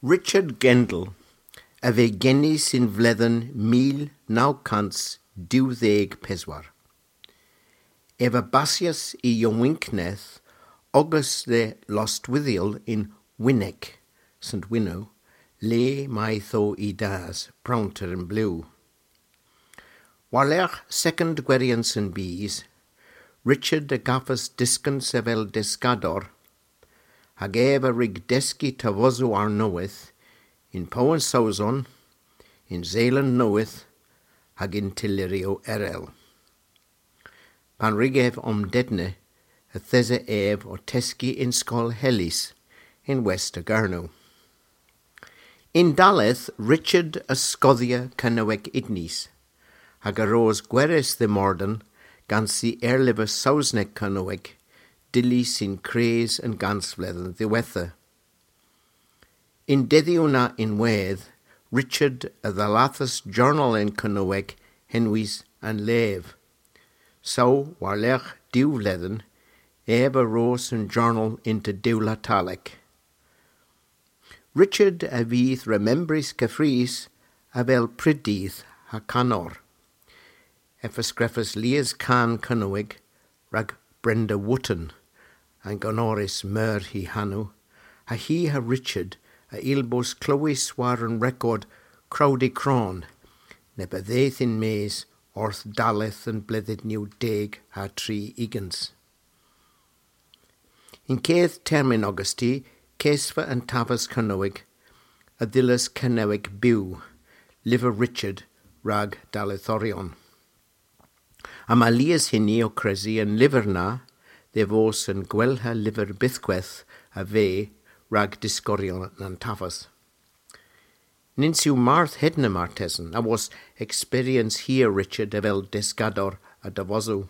Richard Gendall a fe geni sy'n fledden 1924. Ef a basias i ieuenctneth ogys de Lostwithiel in Winwick, St Winnow, le mae tho i das, Brownter yn Blue. Warlerch second gwerians yn bees, Richard a gaffas disgyn sefel desgador, hag ef a rig deski tavosu ar noeth, in Poen Sauzon, in Zeeland Noeth, hag in Tilirio erel. Pan rig ef om dedne, a these ef o teski in Skol Helis, in West Agarno. In daleth Richard a Scothia Cynaweg Idnis, hag a rose gweres the morden, gan si erlive Sausneg Cynaweg, dili sy'n cres yn gansfledd ddiwetha. In deddiwna in wedd, Richard a ddalathus journal in Cynaweg henwys an lef. So, warlech diwfledden, ef a rose yn journal into Dewla Talek. Richard a fydd remembris cyffrys a fel prydydd ha canor. Ef ysgreffus Lias Can Cynwig rag Brenda Wotton an gonoris myr hi hanw, ha hi ha Richard a ilbos clywys war yn record Crowdy Cron, ne byddeith in mes orth daleth yn bleddyd new deg ha tri igans. In cedd termyn Augusti, cesfa yn tafas Cynwig, a ddilys Cynewig byw, Liver Richard rag dalethorion. A mae lias hynny o cresi yn lyfr na, dde fos yn gwelha lyfr bythgweth a fe rag disgorion na'n tafas. Nins yw marth hedna martesen, a was experience here Richard evel desgador a davosw.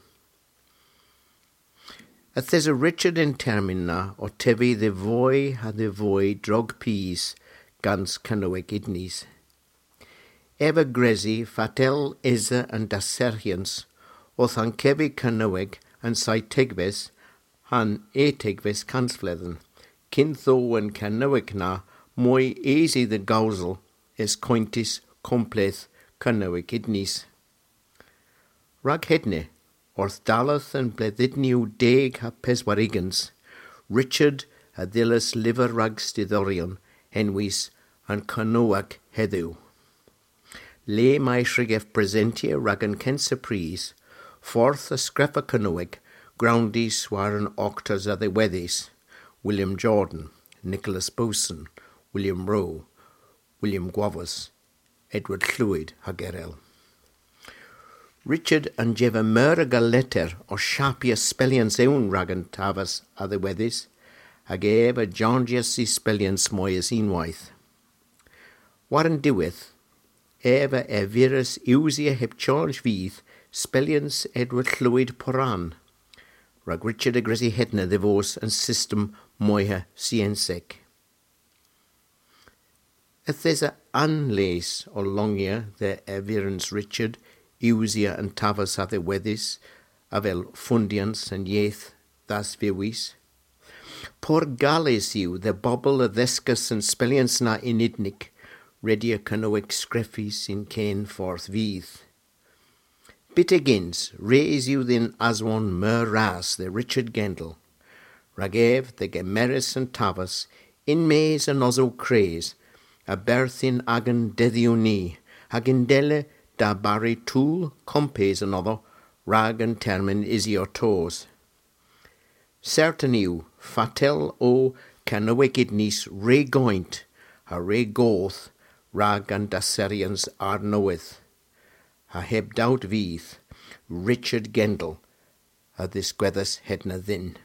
A thes a Richard in termyn na o tefi dde fwy ha dde fwy drog pys gans Cynweg idnis. Ef a gresi fatel esa yn daserhians o'th an cefi Cynweg yn saith han etegves cansfledden, cyn tho yn Cynweg na mwy easy the gawsel es cointis completh Cynweg idnis. Rag hedne, orth daleth yn bleddydniw deg ha peswarigans, Richard a ddilys lyfr rag stiddorion henwys yn Cynwag heddiw. Le mae shrigef presentia rag yn censa pris, ffordd y sgreffa Cynweg, groundis war yn octors a ddiweddus, William Jordan, Nicholas Boson, William Rowe, William Guavus, Edward Llwyd hag erel. Richard yn jefa myr a letter o siapia spelians ewn rag yn tafas a ddiweddus, hag ef a John i spelians mwy as unwaith. War yn diwedd, ef a efirus iwsia heb charge fydd spelians Edward Llwyd Poran, rag Richard a Gresi Hedna ddifos yn system mwyha sienseg. Ythes a anles o longia the efirans Richard iwsia yn tafas a ddiweddus, a fel fundians yn ieith das fywys. Por gales yw the bobl y ddesgus yn spelians na unidnig, redia cynweg sgreffi sy'n cen ffordd fydd. Bitegins, reis yw ddyn aswon myr ras the Richard Gendall, rag ef the gemeris yn tafas, in mes yn osw cres, a berthyn agan deddiw ni, hag yn dele da bari tŵl compes yn oddo, rag yn termyn isio tos. Certain yw, fatel o canywegyd nis re goint, a re goth, rag an daserians ar newydd. A heb dawt fydd, Richard Gendall, a ddisgweddus hedna ddyn.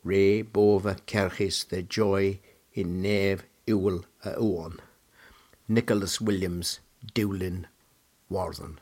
Re bofa cerchus the joy in nef iwl a uon. Nicholas Williams, Dewlyn, Warthen.